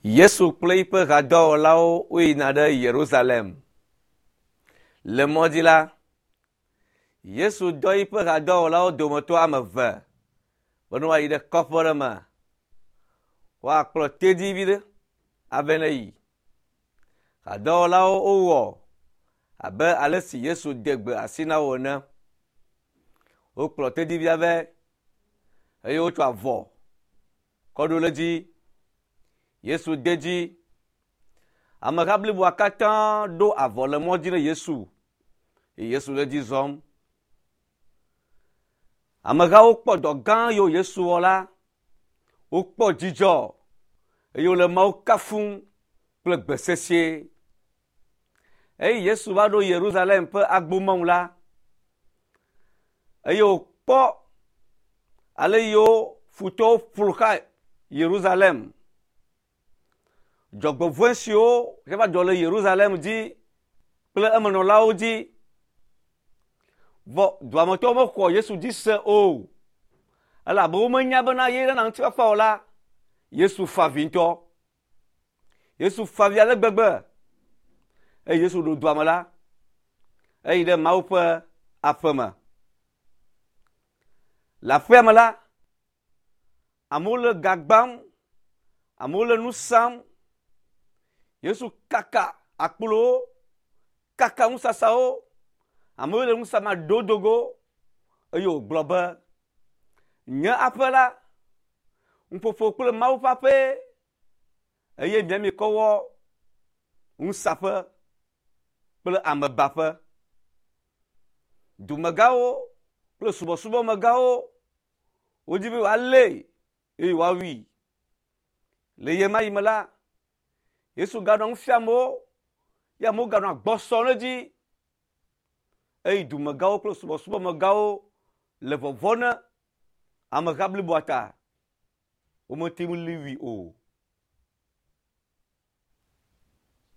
Yesu kple eƒe hadɔwɔlawo woyina ɖe Yerusalem. Le mɔ dzi la, Yesu dɔ eƒe hadɔwɔlawo dometɔ ame eve be ne woayi ɖe kɔƒe ɖe me, woakplɔ tedzi vi ɖe ave ne yi. Hadɔwɔlawo wowɔ abe ale si Yesu de gbe asi na wo ene. Wokplɔ tedzivia vɛ eye wotsɔ avɔ kɔ ɖo ɖe edzi. Yesu de edzi. Ameha bliboa katã ɖo avɔ le mɔ dzi ɖe Yesu eye Yesu le edzi zɔm. Amehawo kpɔ dɔ gã yiwo Yesu wɔ la, wokpɔ dzidzɔ eye wole Mawu kafum kple gbe sesĩe. Eye Yesu va ɖo Yerusalem ƒe agbomɔnu la, eye wòkpɔ ale yiwo futɔwo ƒo xa Yerusalem. Dzɔgbevɔ̃e siwo va dzɔ le Yerusalem dzi kple emenɔlawo dzi. Vɔ duametɔwo mexɔ Yesu dzi se o. Elabe womenya bena ye nana ŋutifafa o la, Yesu fa avi ŋutɔ. Yesu fa avi ale gbegbe. Eye Yesu ɖo dua me la, eyi ɖe Mawu ƒe aƒe me. Le aƒea me la, amewo le ga gbam, amewo le nu sam. Yesu kaka akplowo, kaka nusasawo, amewo le nu sam aɖewo do go eye wògblɔ be, Nye aƒe la, nuƒoƒo kple Mawu ƒe aƒee eye mia mikɔ wɔ nusaƒe kple amebaƒe. Dumegãwo kple subɔsubɔmegãwo wodi be yewoalée eye yewoawui. Le ɣe ma ɣi me la, Yesu ganɔ nu fiam wo ye amewo ganɔ agbɔ sɔm ɖe edzi eye dumegãwo kple subɔsubɔmegãwo le vɔvɔ̃ na ameha bliboa ta. Womete ŋu li wui o.